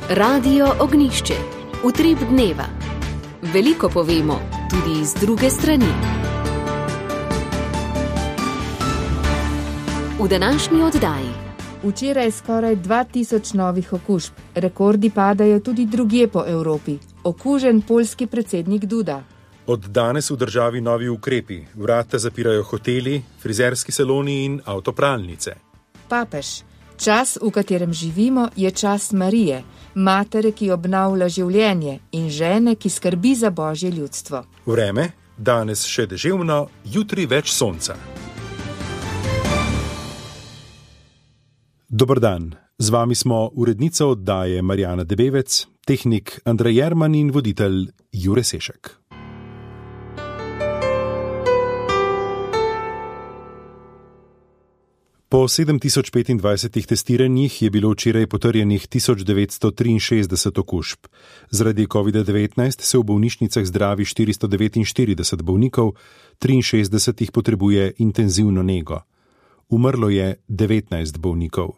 Radio Ognišče, utrip dneva. Veliko povemo, tudi iz druge strani. V današnji oddaji. Včeraj skoraj 2000 novih okužb. Rekordi padajo tudi drugje po Evropi. Okužen poljski predsednik Duda. Od danes v državi novi ukrepi. Vrata zapirajo hoteli, frizerski saloni in avtopralnice. Papež. Čas, v katerem živimo, je čas Marije, matere, ki obnavlja življenje, in žene, ki skrbi za Božje ljudstvo. Vreme, danes še deževno, jutri več sonca. Dober dan, z vami smo urednica oddaje Marjana Debevec, tehnik Andrej Jerman in voditelj Jure Sešek. Po 7025 testiranjih je bilo včeraj potrjenih 1963 okužb. Zaradi COVID-19 se v bolnišnicah zdravi 449 bolnikov, 63 jih potrebuje intenzivno nego. Umrlo je 19 bolnikov.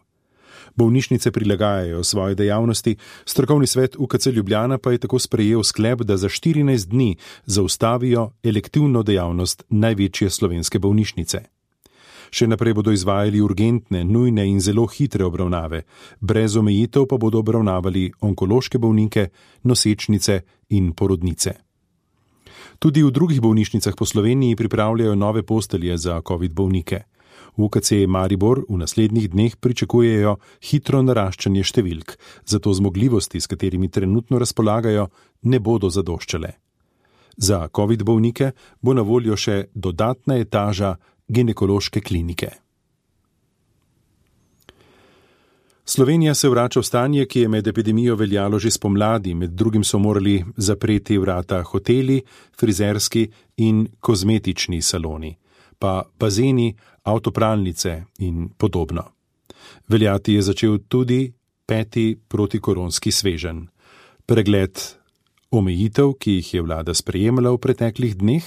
Bolnišnice prilagajajo svoje dejavnosti, strokovni svet UKC Ljubljana pa je tako sprejel sklep, da za 14 dni zaustavijo elektivno dejavnost največje slovenske bolnišnice. Še naprej bodo izvajali urgentne, nujne in zelo hitre obravnave, brez omejitev pa bodo obravnavali onkološke bolnike, nosečnice in porodnice. Tudi v drugih bolnišnicah po Sloveniji pripravljajo nove postelje za COVID bolnike. V UKC Maribor v naslednjih dneh pričakujejo hitro naraščanje številk, zato zmogljivosti, s katerimi trenutno razpolagajo, ne bodo zadoščale. Za COVID bolnike bo na voljo še dodatna etaža ginekološke klinike. Slovenija se vrača v stanje, ki je med epidemijo veljalo že spomladi, med drugim so morali zapreti vrata hoteli, frizerski in kozmetični saloni, pa bazeni, avtopralnice in podobno. Veljati je začel tudi 5. protikoronski sveženj. Pregled omejitev, ki jih je vlada sprejemala v preteklih dneh,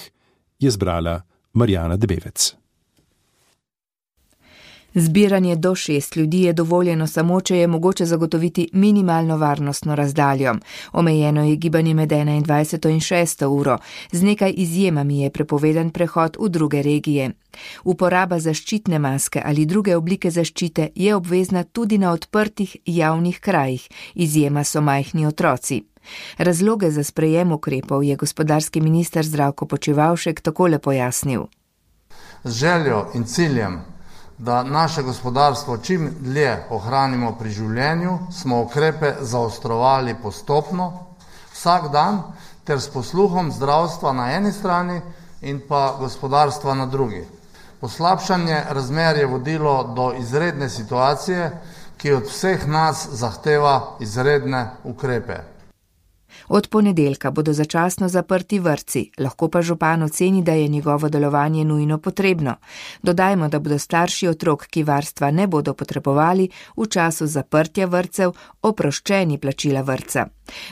je zbrala Marjana Debevec. Zbiranje do 6 ljudi je dovoljeno samo, če je mogoče zagotoviti minimalno varnostno razdaljo. Omejeno je gibanje med 21. in 6. uro. Z nekaj izjemami je prepovedan prehod v druge regije. Uporaba zaščitne maske ali druge oblike zaščite je obvezna tudi na odprtih javnih krajih. Izjema so majhni otroci. Razloge za sprejem ukrepov je gospodarski minister Zdravko Počivalšek takole pojasnil. Z željo in ciljem, da naše gospodarstvo čim dlje ohranimo pri življenju, smo ukrepe zaostrovali postopno, vsak dan, ter s posluhom zdravstva na eni strani in pa gospodarstva na drugi. Poslabšanje razmer je vodilo do izredne situacije, ki od vseh nas zahteva izredne ukrepe. Od ponedeljka bodo začasno zaprti vrtci, lahko pa župan oceni, da je njegovo delovanje nujno potrebno. Dodajmo, da bodo starši otrok, ki varstva ne bodo potrebovali, v času zaprtja vrtcev oproščeni plačila vrtca.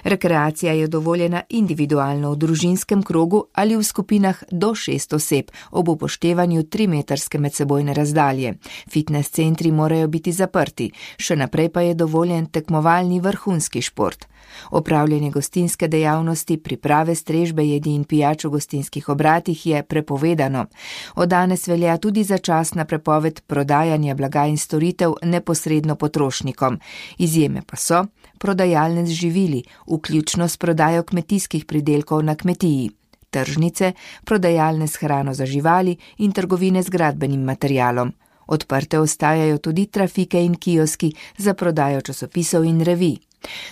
Rekreacija je dovoljena individualno v družinskem krogu ali v skupinah do 6 oseb ob upoštevanju 3-metrske medsebojne razdalje. Fitness centri morajo biti zaprti, še naprej pa je dovoljen tekmovalni vrhunski šport. Opravljanje gostinske dejavnosti, priprave strežbe, jedi in pijač v gostinskih obratih je prepovedano. Od danes velja tudi začasna prepoved prodajanja blaga in storitev neposredno potrošnikom. Izjeme pa so prodajalne z živili, vključno s prodajo kmetijskih pridelkov na kmetiji, tržnice, prodajalne s hrano za živali in trgovine z gradbenim materialom. Odprte ostajajo tudi trafike in kioski za prodajo časopisov in revij.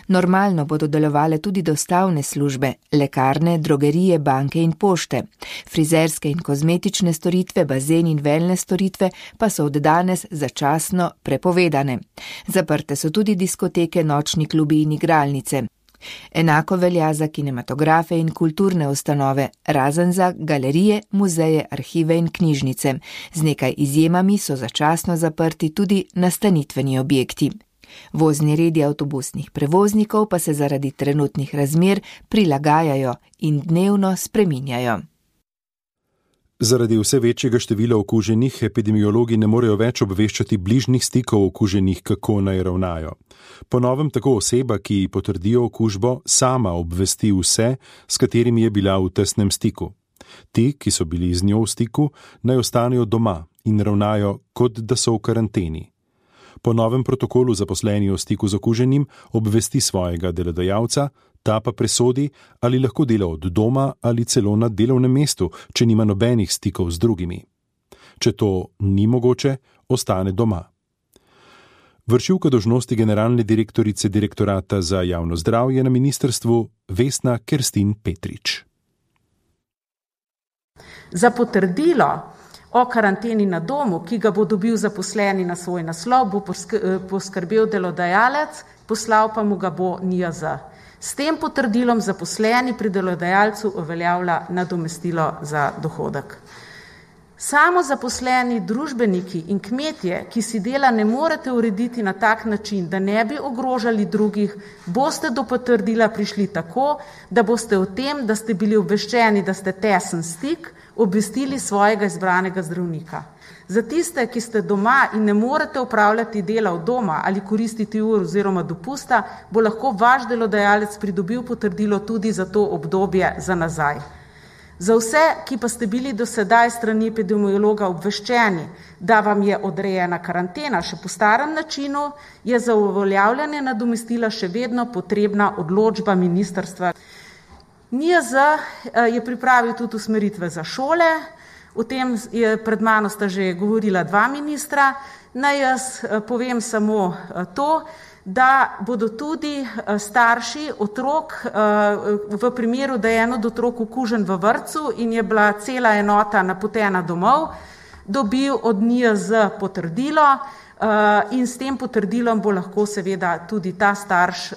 Normalno bodo delovale tudi dostavne službe, lekarne, drogerije, banke in pošte. Frizerske in kozmetične storitve, bazen in wellness storitve pa so od danes začasno prepovedane. Zaprte so tudi diskoteke, nočni klubi in igralnice. Enako velja za kinematografe in kulturne ustanove, razen za galerije, muzeje, arhive in knjižnice. Z nekaj izjemami so začasno zaprti tudi nastanitveni objekti. Vozni redi avtobusnih prevoznikov pa se zaradi trenutnih razmer prilagajajo in dnevno spreminjajo. Zaradi vse večjega števila okuženih epidemiologi ne morejo več obveščati bližnjih stikov okuženih, kako naj ravnajo. Po novem tako oseba, ki potrdijo okužbo, sama obvesti vse, s katerimi je bila v tesnem stiku. Ti, ki so bili z njo v stiku, naj ostanejo doma in ravnajo, kot da so v karanteni. Po novem protokolu zaposleni v stiku z okuženim obvesti svojega delodajalca, ta pa presodi, ali lahko dela od doma ali celo na delovnem mestu, če nima nobenih stikov z drugimi. Če to ni mogoče, ostane doma. Vršilka dolžnosti generalne direktorice Direktorata za javno zdravje na ministrstvu Vesna Kerstin Petrič. Za potrdilo o karanteni na domu, ki ga bo dobil zaposleni na svoj naslov, bo poskrbel delodajalec, poslal pa mu ga bo NIJZ. S tem potrdilom zaposleni pri delodajalcu uveljavlja nadomestilo za dohodek. Samo zaposleni družbeniki in kmetje, ki si dela ne morete urediti na tak način, da ne bi ogrožali drugih, boste do potrdila prišli tako, da boste o tem, da ste bili obveščeni, da ste tesen stik, obvestili svojega izbranega zdravnika. Za tiste, ki ste doma in ne morete upravljati dela od doma ali koristiti ur oziroma dopusta, bo lahko vaš delodajalec pridobil potrdilo tudi za to obdobje za nazaj. Za vse, ki pa ste bili do sedaj strani epidemiologa obveščeni, da vam je odrejena karantena še po starem načinu, je za uveljavljanje nadomestila še vedno potrebna odločba ministrstva. NIJZ je pripravil tudi usmeritve za šole, o tem je pred mano sta že govorila dva ministra. Naj jaz povem samo to, da bodo tudi starši otrok v primeru, da je en od otrok okužen v vrtcu in je bila cela enota napotena domov, dobil od NIJZ potrdilo in s tem potrdilom bo lahko seveda tudi ta starš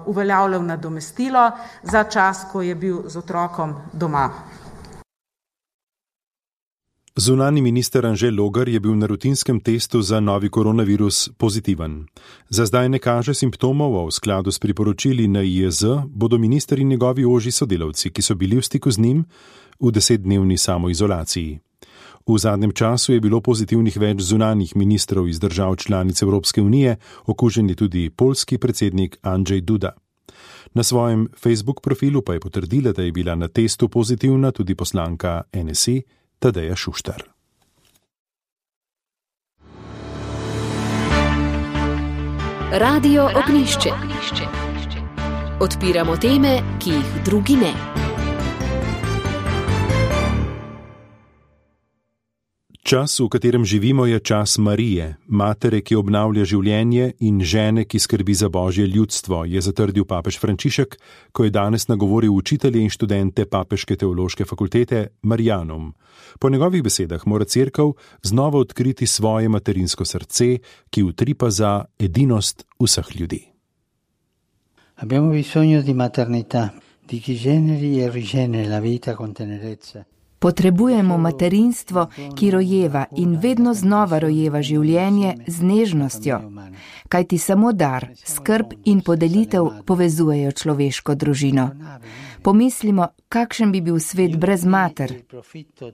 uveljavljal nadomestilo za čas, ko je bil z otrokom doma. Zunanji minister Anže Logar je bil na rutinskem testu za novi koronavirus pozitiven. Za zdaj ne kaže simptomov, a v skladu s priporočili NIJZ bodo minister in njegovi ožji sodelavci, ki so bili v stiku z njim, v 10-dnevni samoizolaciji. V zadnjem času je bilo pozitivnih več zunanjih ministrov iz držav članic Evropske unije, okužen je tudi poljski predsednik Andrzej Duda. Na svojem Facebook profilu pa je potrdila, da je bila na testu pozitivna tudi poslanka NSI Tadeja Šuštar. Radio Ognjišče. Odpiramo teme, ki jih drugi ne. Čas, v katerem živimo, je čas Marije, matere, ki obnavlja življenje in žene, ki skrbi za Božje ljudstvo, je zatrdil papež Frančišek, ko je danes nagovoril učitelje in študente Papeške teološke fakultete Marianum. Po njegovih besedah mora cerkev znova odkriti svoje materinsko srce, ki utripa za edinost vseh ljudi. Abbiamo bisogno di maternità, di chi generi e rigeneri la vita con tenerezza. Potrebujemo materinstvo, ki rojeva in vedno znova rojeva življenje z nežnostjo, kajti samo dar, skrb in podelitev povezujejo človeško družino. Pomislimo, kakšen bi bil svet brez mater.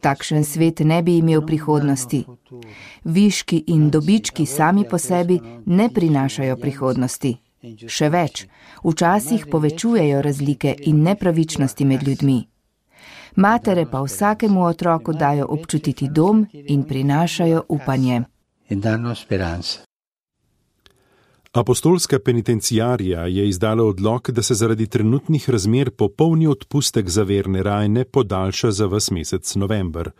Takšen svet ne bi imel prihodnosti. Viški in dobički sami po sebi ne prinašajo prihodnosti. Še več, včasih povečujejo razlike in nepravičnosti med ljudmi. Matere pa vsakemu otroku dajo občutiti dom in prinašajo upanje. Apostolska penitenciarija je izdala odlok, da se zaradi trenutnih razmer popolni odpustek za verne rajne podaljša za ves mesec november.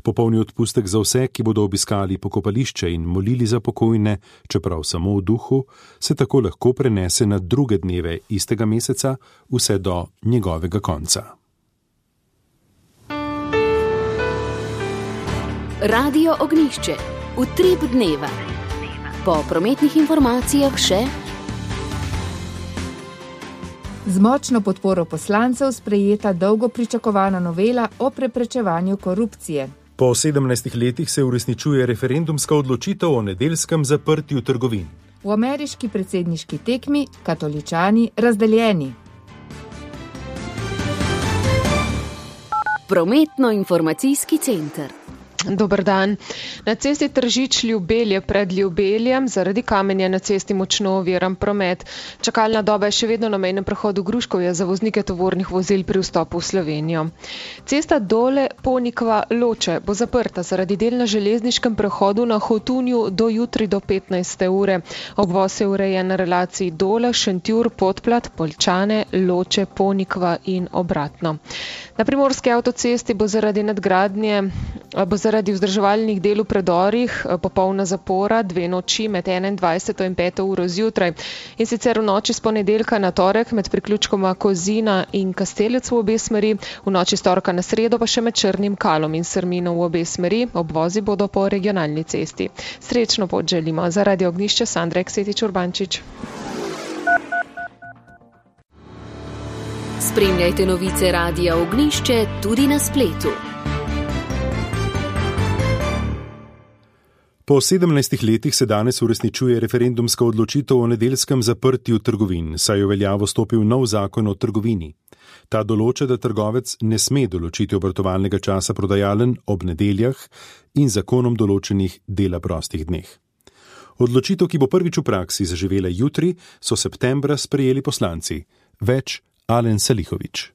Popolni odpustek za vse, ki bodo obiskali pokopališče in molili za pokojne, čeprav samo v duhu, se tako lahko prenese na druge dneve istega meseca, vse do njegovega konca. Radio Ognjišče. Utrip dneva. Po prometnih informacijah še. Z močno podporo poslancev sprejeta dolgo pričakovana novela o preprečevanju korupcije. Po 17 letih se uresničuje referendumska odločitev o nedeljskem zaprtju trgovin. V ameriški predsedniški tekmi katoličani razdeljeni. Prometno-informacijski center. Dober dan. Na cesti Tržič-Ljubelje pred Ljubeljem zaradi kamenja na cesti močno oviran promet. Čakalna doba je še vedno na mejnem prehodu Gruškovje za voznike tovornih vozil pri vstopu v Slovenijo. Cesta Dole-Ponikva-Loče bo zaprta zaradi del na železniškem prehodu na Hotunju do jutri do 15. ure. Obvoz je urejen na relaciji Dole, Šentjur, Podplat, Poljčane, Loče, Ponikva in obratno. Na primorski avtocesti bo zaradi vzdrževalnih del v predorih popolna zapora 2 noči med 21. in 5. uro zjutraj. In sicer v noči s ponedeljka na torek med priključkoma Kozina in Kastelec v obe smeri, v noči s torka na sredo pa še med Črnim Kalom in Srmino v obe smeri. Obvozi bodo po regionalni cesti. Srečno pot želimo. Za Radio Ognjišče Sandra Eksetič Urbančič. Spremljajte novice Radia Ognjišče tudi na spletu. Po 17 letih se danes uresničuje referendumska odločitev o nedeljskem zaprtju trgovin, saj je v veljavo stopil nov zakon o trgovini. Ta določa, da trgovec ne sme določiti obratovalnega časa prodajaln ob nedeljah in zakonom določenih dela prostih dneh. Odločitev, ki bo prvič v praksi zaživela jutri, so septembra sprejeli poslanci. Več Alen Salihović.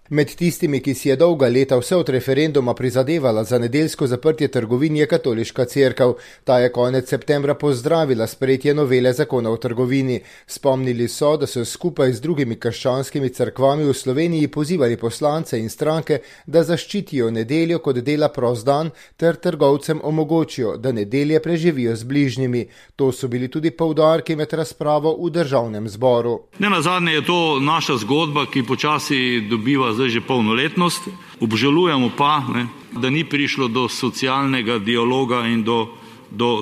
Med tistimi, ki si je dolga leta vse od referenduma prizadevala za nedeljsko zaprtje trgovin, je katoliška cerkev. Ta je konec septembra pozdravila sprejetje novele zakona o trgovini. Spomnili so, da so skupaj z drugimi krščanskimi cerkvami v Sloveniji pozivali poslance in stranke, da zaščitijo nedeljo kot dela prost dan ter trgovcem omogočijo, da nedelje preživijo z bližnjimi. To so bili tudi poudarki med razpravo v državnem zboru. Nenazadnje je to naša zgodba, ki počasi dobiva zdaj že polnoletnost. Obžalujemo pa, da ni prišlo do socialnega dialoga in do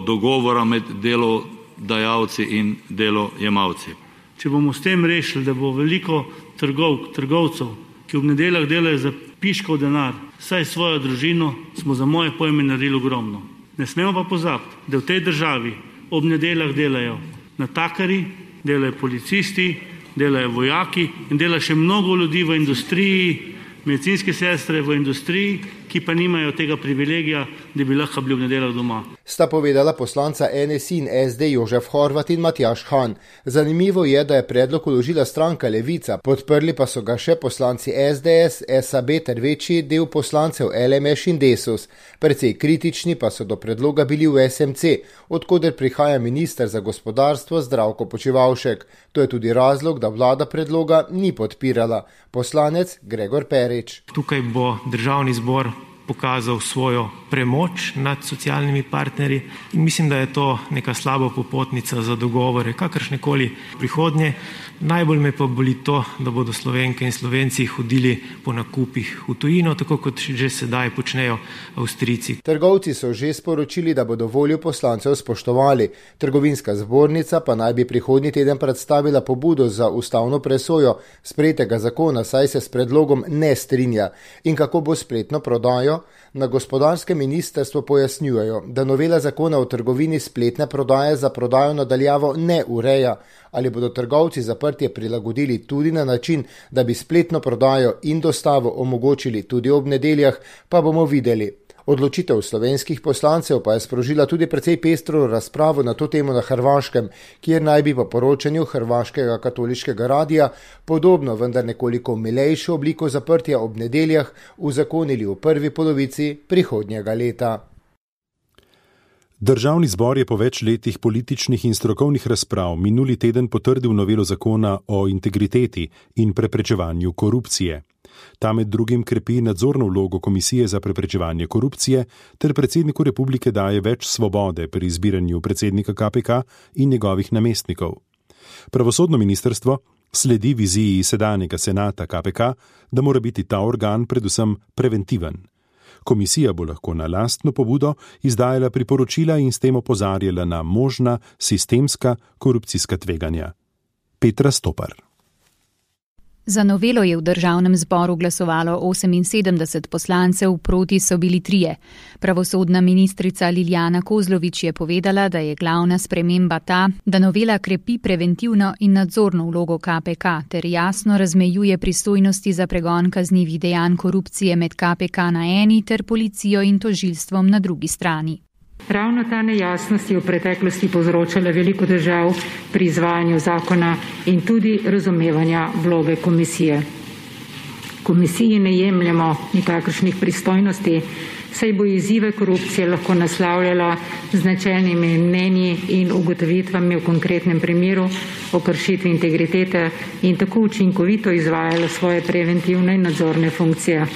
dogovora med delodajalci in delojemalci. Če bomo s tem rešili, da bo veliko trgovcev, ki ob nedeljah delajo za piškov denar, saj svojo družino, smo za moje pojme naredili ogromno. Ne smemo pa pozabiti, da v tej državi ob nedeljah delajo natakari, delajo policisti, delajo vojaki in dela še mnogo ljudi v industriji, medicinske sestre v industriji, ki pa nimajo tega privilegija, da bi lahko bili v nedeljah doma. Sta povedala poslanca NSI in SD Jožef Horvat in Matjaž Han. Zanimivo je, da je predlog vložila stranka Levica, podprli pa so ga še poslanci SDS, SAB ter večji del poslancev LMŠ in Desus. Precej kritični pa so do predloga bili v SMC, odkoder prihaja minister za gospodarstvo Zdravko Počivalšek. To je tudi razlog, da vlada predloga ni podpirala. Poslanec Gregor Perič. Tukaj bo državni zbor pokazal svojo premoč nad socialnimi partnerji in mislim, da je to neka slaba popotnica za dogovore, kakršnekoli prihodnje. Najbolj me pa boli to, da bodo Slovenke in Slovenci hodili po nakupih v tujino, tako kot že sedaj počnejo Avstrijci. Trgovci so že sporočili, da bodo voljo poslancev spoštovali. Trgovinska zbornica pa naj bi prihodnji teden predstavila pobudo za ustavno presojo sprejetega zakona, saj se s predlogom ne strinja. In kako bo spletno prodajo? Na gospodarskem ministrstvu pojasnjujejo, da novela zakona o trgovini spletne prodaje za prodajo nadaljavo ne ureja. Ali bodo trgovci zaprtje prilagodili tudi na način, da bi spletno prodajo in dostavo omogočili tudi ob nedeljah, pa bomo videli. Odločitev slovenskih poslancev pa je sprožila tudi precej pestro razpravo na to temo na Hrvaškem, kjer naj bi po poročanju Hrvaškega katoliškega radija podobno, vendar nekoliko milejšo obliko zaprtja ob nedeljah uzakonili v prvi polovici prihodnjega leta. Državni zbor je po več letih političnih in strokovnih razprav minuli teden potrdil novelo zakona o integriteti in preprečevanju korupcije. Ta med drugim krepi nadzorno vlogo Komisije za preprečevanje korupcije ter predsedniku republike daje več svobode pri izbiranju predsednika KPK in njegovih namestnikov. Pravosodno ministrstvo sledi viziji sedanjega senata KPK, da mora biti ta organ predvsem preventiven. Komisija bo lahko na lastno pobudo izdajala priporočila in s tem opozarjala na možna sistemska korupcijska tveganja. Petra Stopar. Za novelo je v državnem zboru glasovalo 78 poslancev, proti so bili 3. Pravosodna ministrica Lilijana Kozlovič je povedala, da je glavna sprememba ta, da novela krepi preventivno in nadzorno vlogo KPK ter jasno razmejuje pristojnosti za pregon kaznivih dejanj korupcije med KPK na eni ter policijo in tožilstvom na drugi strani. Ravno ta nejasnost je v preteklosti povzročala veliko težav pri izvajanju zakona in tudi razumevanja vloge komisije. Komisiji ne jemljemo nikakršnih pristojnosti, saj bo izzive korupcije lahko naslavljala z načelnimi mnenji in ugotovitvami v konkretnem primeru o kršitvi integritete in tako učinkovito izvajala svoje preventivne in nadzorne funkcije.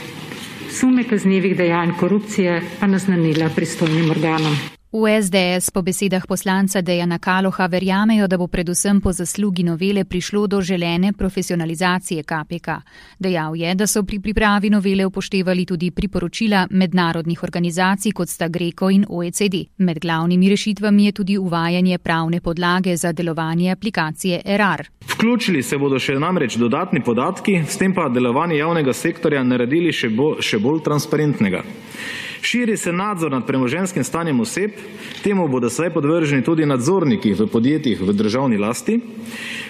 Sume kaznivih dejanj korupcije pa naznanila pristojnim organom. V SDS po besedah poslanca Dejana Kaloha verjamejo, da bo predvsem po zaslugi novele prišlo do želene profesionalizacije KPK. Dejal je, da so pri pripravi novele upoštevali tudi priporočila mednarodnih organizacij, kot sta GRECO in OECD. Med glavnimi rešitvami je tudi uvajanje pravne podlage za delovanje aplikacije ERAR. Vključili se bodo še namreč dodatni podatki, s tem pa delovanje javnega sektorja naredili še bolj transparentnega. Širi se nadzor nad premoženjskim stanjem oseb, temu bodo zdaj podvrženi tudi nadzorniki v podjetjih v državni lasti.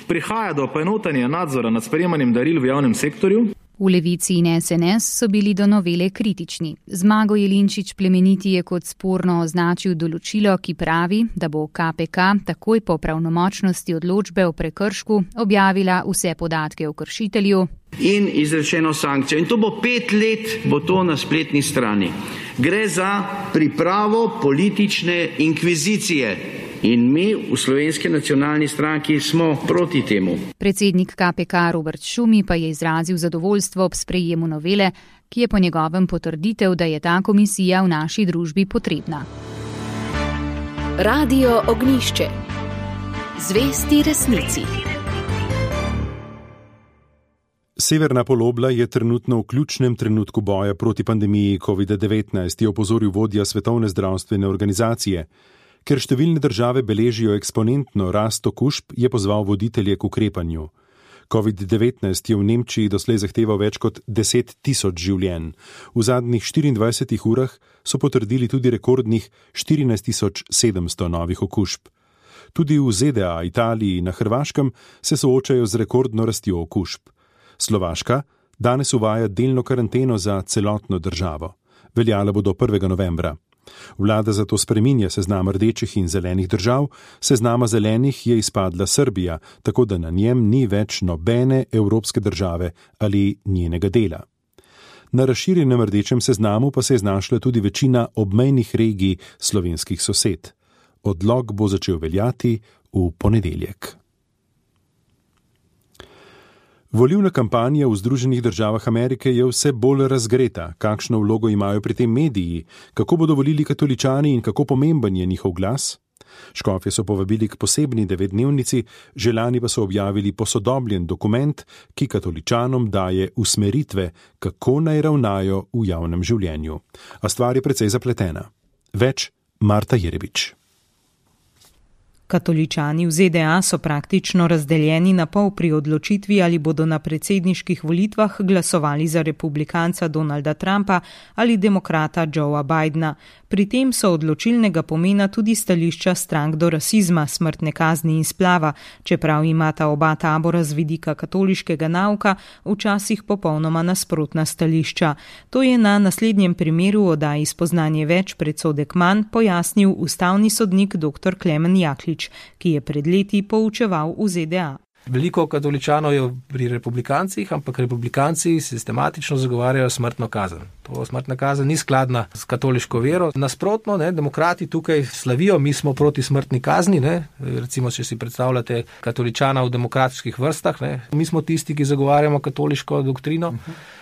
Prihaja do poenotanja nadzora nad sprejemanjem daril v javnem sektorju. V Levici in SNS so bili do novele kritični. Zmago Jelinčič Plemeniti je kot sporno označil določilo, ki pravi, da bo KPK takoj po pravnomočnosti odločbe o prekršku objavila vse podatke o kršitelju in izrečeno sankcijo. In to bo 5 let, bo to na spletni strani. Gre za pripravo politične inkvizicije. In mi v Slovenski nacionalni stranki smo proti temu. Predsednik KPK Robert Šumi pa je izrazil zadovoljstvo ob sprejemu novele, ki je po njegovem potrditev, da je ta komisija v naši družbi potrebna. Radio Ognjišče. Zvesti resnici. Severna polobla je trenutno v ključnem trenutku boja proti pandemiji COVID-19, je opozoril vodja Svetovne zdravstvene organizacije. Ker številne države beležijo eksponentno rast okužb, je pozval voditelje k ukrepanju. COVID-19 je v Nemčiji doslej zahteval več kot 10 tisoč življenj. V zadnjih 24 urah so potrdili tudi rekordnih 14.700 novih okužb. Tudi v ZDA, Italiji in na Hrvaškem se soočajo z rekordno rastjo okužb. Slovaška danes uvaja delno karanteno za celotno državo. Veljala bo do 1. novembra. Vlada zato spreminja seznam rdečih in zelenih držav, seznama zelenih je izpadla Srbija, tako da na njem ni več nobene evropske države ali njenega dela. Na razširjenem rdečem seznamu pa se je znašla tudi večina obmejnih regij slovenskih sosed. Odlok bo začel veljati v ponedeljek. Volilna kampanja v Združenih državah Amerike je vse bolj razgreta. Kakšno vlogo imajo pri tem mediji? Kako bodo volili katoličani in kako pomemben je njihov glas? Škofje so povabili k posebni 9-dnevnici, želani pa so objavili posodobljen dokument, ki katoličanom daje usmeritve, kako naj ravnajo v javnem življenju. A stvar je precej zapletena. Več Marta Jerebič. Katoličani v ZDA so praktično razdeljeni na pol pri odločitvi, ali bodo na predsedniških volitvah glasovali za republikanca Donalda Trumpa ali demokrata Joea Bidena. Pri tem so odločilnega pomena tudi stališča strank do rasizma, smrtne kazni in splava, čeprav imata oba tabora z vidika katoliškega nauka včasih popolnoma nasprotna stališča. To je na naslednjem primeru oddaji Spoznanje več predsodek manj pojasnil ustavni sodnik dr. Klemen Jaklič, ki je pred leti poučeval v ZDA. Veliko katoličanov je pri republikancih, ampak republikanci sistematično zagovarjajo smrtno kazen. To smrtna kazen ni skladna s katoliško vero. Nasprotno, demokrati tukaj slavijo, mi smo proti smrtni kazni, recimo, če si predstavljate katoličana v demokratičnih vrstah, mi smo tisti, ki zagovarjamo katoliško doktrino,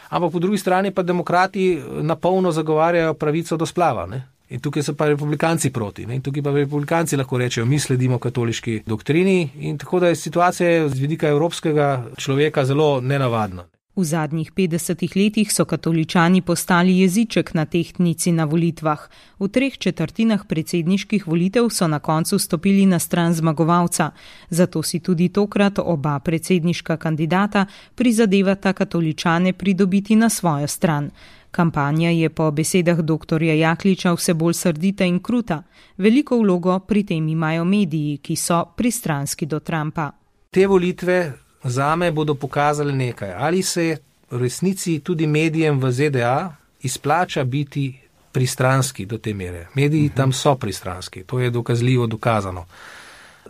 ampak po drugi strani pa demokrati na polno zagovarjajo pravico do splava, In tukaj so pa republikanci proti. In tukaj pa republikanci lahko rečejo, mi sledimo katoliški doktrini in tako da je situacija z vidika evropskega človeka zelo nenavadna. V zadnjih 50 letih so katoličani postali jeziček na tehtnici na volitvah. V 3/4 predsedniških volitev so na koncu stopili na stran zmagovalca. Zato si tudi tokrat oba predsedniška kandidata prizadevata katoličane pridobiti na svojo stran. Kampanja je po besedah dr. Jakliča vse bolj srdita in kruta. Veliko vlogo pri tem imajo mediji, ki so pristranski do Trumpa. Te volitve zame bodo pokazali nekaj. Ali se v resnici tudi medijem v ZDA izplača biti pristranski do te mere. Mediji tam so pristranski, to je dokazljivo dokazano.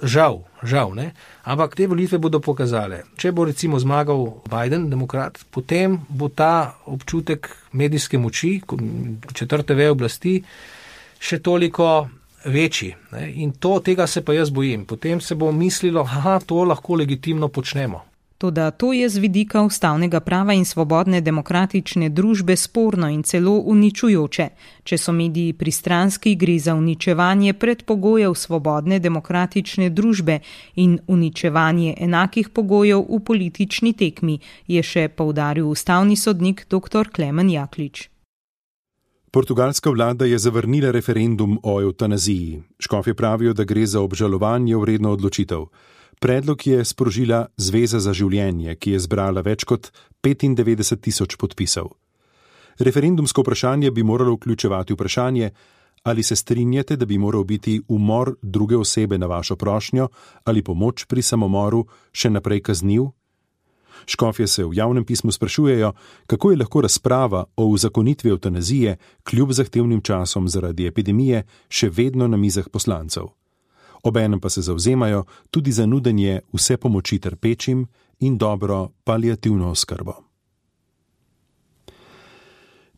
Žal, ne? Ampak te volitve bodo pokazale. Če bo recimo zmagal Biden, demokrat, potem bo ta občutek medijske moči, četrte veje oblasti, še toliko večji. Ne? In tega se pa jaz bojim. Potem se bo mislilo, to lahko legitimno počnemo. Toda to je z vidika ustavnega prava in svobodne demokratične družbe sporno in celo uničujoče. Če so mediji pristranski, gre za uničevanje predpogojev svobodne demokratične družbe in uničevanje enakih pogojev v politični tekmi, je še poudaril ustavni sodnik dr. Klemen Jaklič. Portugalska vlada je zavrnila referendum o evtanaziji. Škofje pravijo, da gre za obžalovanje vredno odločitev. Predlog je sprožila Zveza za življenje, ki je zbrala več kot 95.000 podpisov. Referendumsko vprašanje bi moralo vključevati vprašanje, ali se strinjate, da bi moral biti umor druge osebe na vašo prošnjo ali pomoč pri samomoru še naprej kazniv? Škofje se v javnem pismu sprašujejo, kako je lahko razprava o uzakonitvi evtanazije kljub zahtevnim časom zaradi epidemije še vedno na mizah poslancev. Obenem pa se zavzemajo tudi za nudenje vse pomoči trpečim in dobro paliativno oskrbo.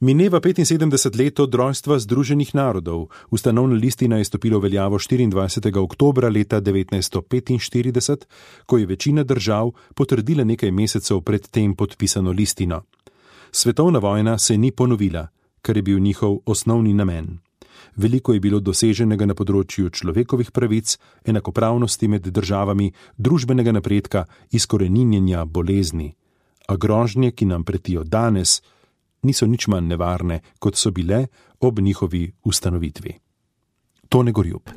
Mineva 75 let od rojstva Združenih narodov. Ustanovna listina je stopila v veljavo 24. oktobra leta 1945, ko je večina držav potrdila nekaj mesecev pred tem podpisano listino. Svetovna vojna se ni ponovila, kar je bil njihov osnovni namen. Veliko je bilo doseženega na področju človekovih pravic, enakopravnosti med državami, družbenega napredka, izkoreninjenja bolezni. A grožnje, ki nam pretijo danes, niso nič manj nevarne, kot so bile ob njihovi ustanovitvi. Tone Gorjup.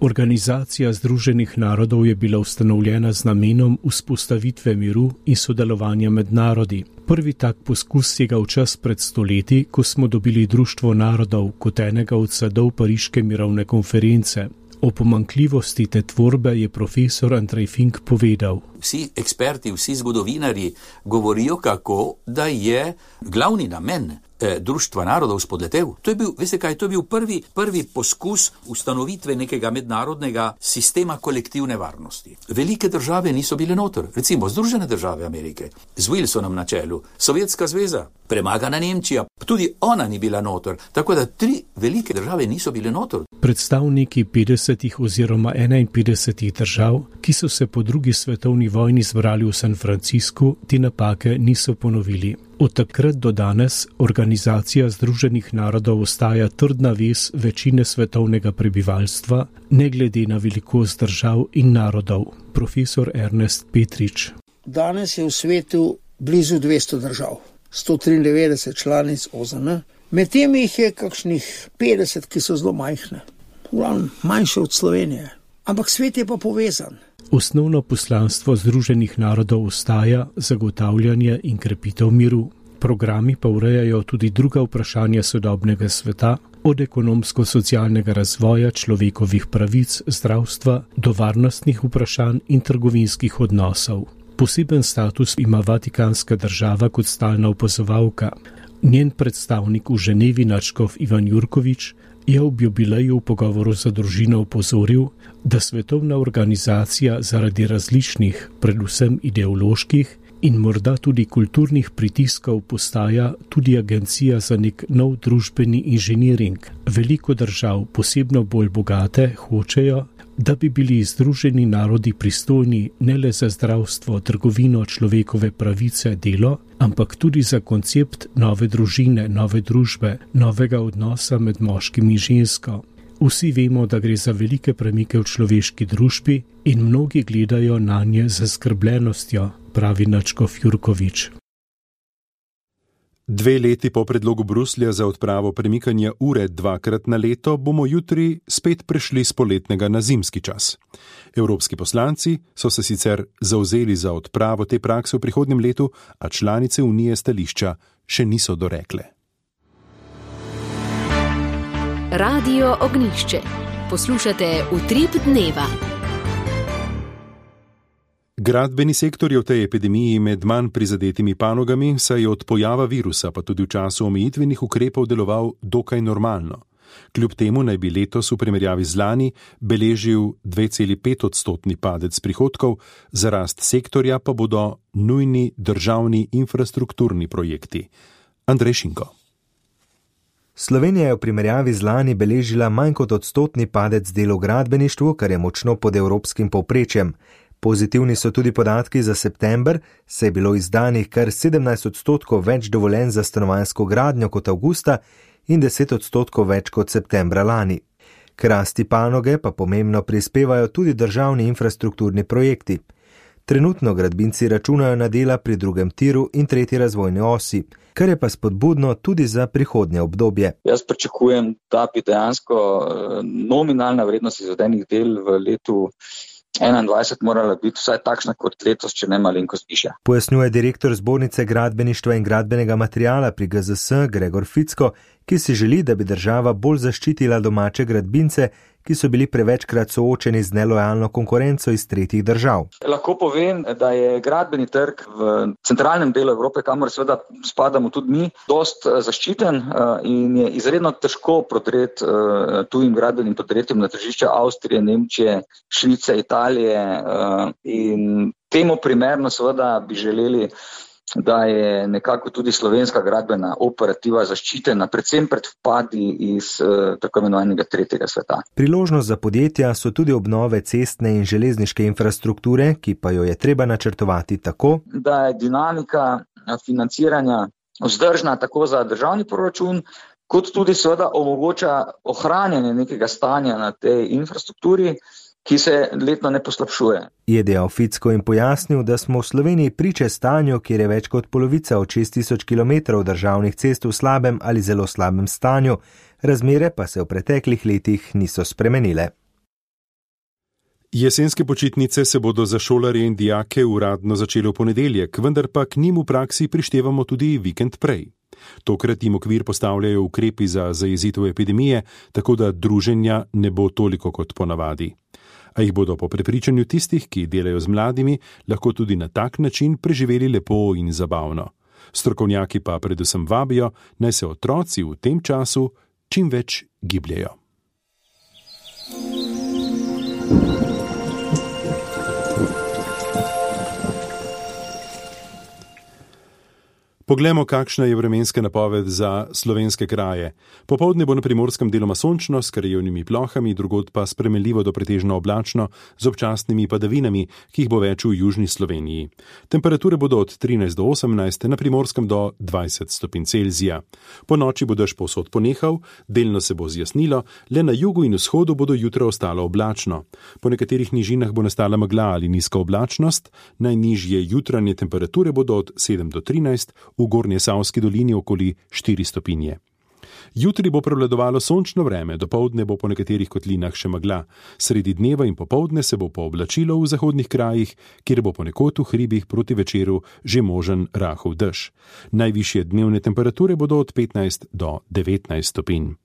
Organizacija Združenih narodov je bila ustanovljena z namenom vzpostavitve miru in sodelovanja med narodi. Prvi tak poskus sega v čas pred stoletji, ko smo dobili Društvo narodov kot enega od sadov Pariške mirovne konference. O pomanjkljivosti te tvorbe je profesor Andrej Fink povedal. Vsi eksperti, vsi zgodovinari govorijo, kako da je glavni namen Društva narodov spodletel. To je bil, veste kaj, to je bil prvi poskus ustanovitve nekega mednarodnega sistema kolektivne varnosti. Velike države niso bile noter, recimo Združene države Amerike, z Wilsonom na čelu, Sovjetska zveza, premagana Nemčija, tudi ona ni bila noter, tako da 3 velike države niso bile noter. Predstavniki 50 oziroma 51 držav, ki so se po drugi svetovni vojni zbrali v San Franciscu, te napake niso ponovili. Od takrat do danes Organizacija Združenih narodov ostaja trdna vez večine svetovnega prebivalstva, ne glede na velikost držav in narodov. Profesor Ernest Petrič. Danes je v svetu blizu 200 držav, 193 članic OZN, med tem jih je kakšnih 50, ki so zelo majhne, manjše od Slovenije. Ampak svet je pa povezan. Osnovno poslanstvo Združenih narodov ostaja zagotavljanje in krepitev miru. Programi pa urejajo tudi druga vprašanja sodobnega sveta, od ekonomsko-socialnega razvoja, človekovih pravic, zdravstva do varnostnih vprašanj in trgovinskih odnosov. Poseben status ima Vatikanska država kot stalna opazovalka. Njen predstavnik v Ženevi nadškof Ivan Jurkovič je ob jubileju v pogovoru za družino opozoril, da svetovna organizacija zaradi različnih, predvsem ideoloških in morda tudi kulturnih pritiskov postaja tudi agencija za nek nov družbeni inženiring. Veliko držav, posebno bolj bogate, hočejo, da bi bili Združeni narodi pristojni ne le za zdravstvo, trgovino, človekove pravice, delo, ampak tudi za koncept nove družine, nove družbe, novega odnosa med moškim in žensko. Vsi vemo, da gre za velike premike v človeški družbi in mnogi gledajo nanje z zaskrbljenostjo, pravi nadškof Jurkovič. 2 leti po predlogu Bruslja za odpravo premikanja ure 2-krat na leto bomo jutri spet prešli z poletnega na zimski čas. Evropski poslanci so se sicer zavzeli za odpravo te prakse v prihodnjem letu, a članice Unije stališča še niso dorekle. Radio Ognjišče. Poslušate Utrip dneva. Gradbeni sektor je v tej epidemiji med manj prizadetimi panogami, saj je od pojava virusa pa tudi v času omejitvenih ukrepov deloval dokaj normalno. Kljub temu naj bi letos v primerjavi z lani beležil 2,5% padec prihodkov, za rast sektorja pa bodo nujni državni infrastrukturni projekti. Andrej Šinko. Slovenija je v primerjavi z lani beležila manj kot odstotni padec dela v gradbeništvu, kar je močno pod evropskim povprečjem. Pozitivni so tudi podatki za september, saj je bilo izdanih kar 17% več dovoljenj za stanovanjsko gradnjo kot avgusta in 10% več kot septembra lani. K rasti panoge pa pomembno prispevajo tudi državni infrastrukturni projekti. Trenutno gradbinci računajo na dela pri drugem tiru in tretji razvojni osi, kar je pa spodbudno tudi za prihodnje obdobje. Jaz pričakujem, da bi dejansko nominalna vrednost izvedenih del v letu 2021 morala biti vsaj takšna kot letos, če ne malenkost višja. Pojasnjuje direktor Zbornice gradbeništva in gradbenega materiala pri GZS Gregor Ficko, ki si želi, da bi država bolj zaščitila domače gradbince, ki so bili prevečkrat soočeni z nelojalno konkurenco iz tretjih držav. Lahko povem, da je gradbeni trg v centralnem delu Evrope, kamor seveda spadamo tudi mi, dost zaščiten in je izredno težko prodreti tujim gradbenim podjetjem na tržišče Avstrije, Nemčije, Švice, Italije in temu primerno seveda bi želeli, da je nekako tudi slovenska gradbena operativa zaščitena, predvsem pred vpadi iz tako imenovanega tretjega sveta. Priložnost za podjetja so tudi obnove cestne in železniške infrastrukture, ki pa jo je treba načrtovati tako, da je dinamika financiranja vzdržna tako za državni proračun, kot tudi seveda omogoča ohranjanje nekega stanja na tej infrastrukturi, ki se letno ne poslabšuje. Je dejal Ficko in pojasnil, da smo v Sloveniji priče stanju, kjer je več kot polovica od 6000 km državnih cest v slabem ali zelo slabem stanju, razmere pa se v preteklih letih niso spremenile. Jesenske počitnice se bodo za šolarje in dijake uradno začele v ponedeljek, vendar pa k njim v praksi prištevamo tudi vikend prej. Tokrat jim okvir postavljajo ukrepi za zajezitev epidemije, tako da druženja ne bo toliko kot ponavadi. A jih bodo po prepričanju tistih, ki delajo z mladimi, lahko tudi na tak način preživeli lepo in zabavno. Strokovnjaki pa predvsem vabijo, naj se otroci v tem času čim več gibljejo. Poglejmo, kakšna je vremenska napoved za slovenske kraje. Popoldne bo na Primorskem deloma sončno s krajevnimi plohami, drugod pa spremenljivo do pretežno oblačno z občasnimi padavinami, ki jih bo več v južni Sloveniji. Temperature bodo od 13 do 18, na Primorskem do 20 stopinj Celzija. Po noči bo dež povsod ponehal, delno se bo zjasnilo, le na jugu in vzhodu bodo jutro ostalo oblačno. Po nekaterih nižinah bo nastala megla ali nizka oblačnost, najnižje jutranje temperature bodo od 7 do 13, v Gornje Savski dolini okoli 4 stopinje. Jutri bo prevladovalo sončno vreme, dopoldne bo po nekaterih kotlinah še megla. Sredi dneva in popoldne se bo pooblačilo v zahodnih krajih, kjer bo ponekod v hribih proti večeru že možen rahel dež. Najvišje dnevne temperature bodo od 15 do 19 stopinj.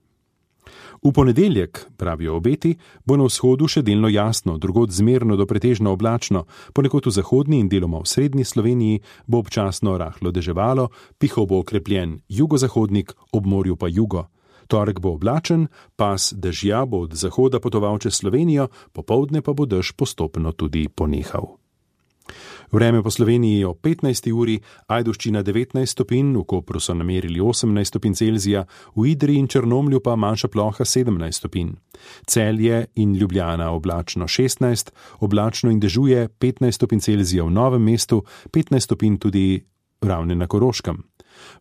V ponedeljek, pravijo obeti, bo na vzhodu še delno jasno, drugod zmerno do pretežno oblačno, ponekod v zahodni in deloma v srednji Sloveniji bo občasno rahlo deževalo, pihal bo okrepljen jugozahodnik, ob morju pa jugo. Torek bo oblačen, pas dežja bo od zahoda potoval čez Slovenijo, popoldne pa bo dež postopno tudi ponehal. Vreme po Sloveniji je o 15. uri, Ajdovščina 19 stopinj, v Kopru so namerili 18 stopinj Celzija, v Idriji in Črnomlju pa manjša ploha 17 stopinj. Celje in Ljubljana oblačno 16, oblačno in dežuje 15 stopinj Celzija v Novem mestu, 15 stopinj tudi Ravne na Koroškem.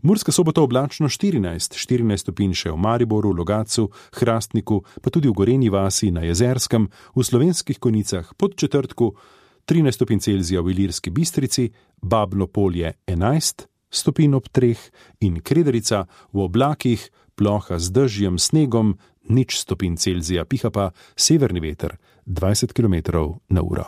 Murska Sobota oblačno 14 stopinj še v Mariboru, Logatcu, Hrastniku, pa tudi v Gorenji vasi na Jezerskem, v Slovenskih Konjicah pod Četrtku 13 stopinj Celzija v Ilirski Bistrici, Babno Polje 11, stopinj ob 3 in Krederica v oblakih, ploha z dežjem, snegom, 0 stopinj Celzija, piha pa severni veter 20 km/h.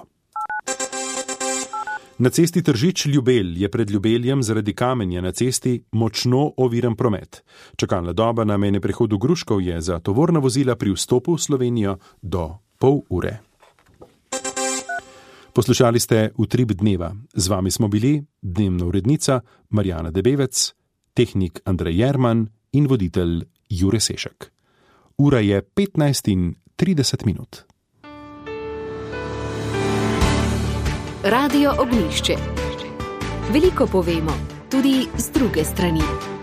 Na cesti Tržič-Ljubelj je pred Ljubeljem zaradi kamenja na cesti močno oviran promet. Čakalna doba na mejnem prehodu Gruškov je za tovorna vozila pri vstopu v Slovenijo do pol ure. Poslušali ste Utrip dneva. Z vami smo bili dnevna urednica Marjana Debevec, tehnik Andrej Jerman in voditelj Jure Sešek. Ura je 15:30. Radio Ognjišče. Veliko povemo, tudi z druge strani.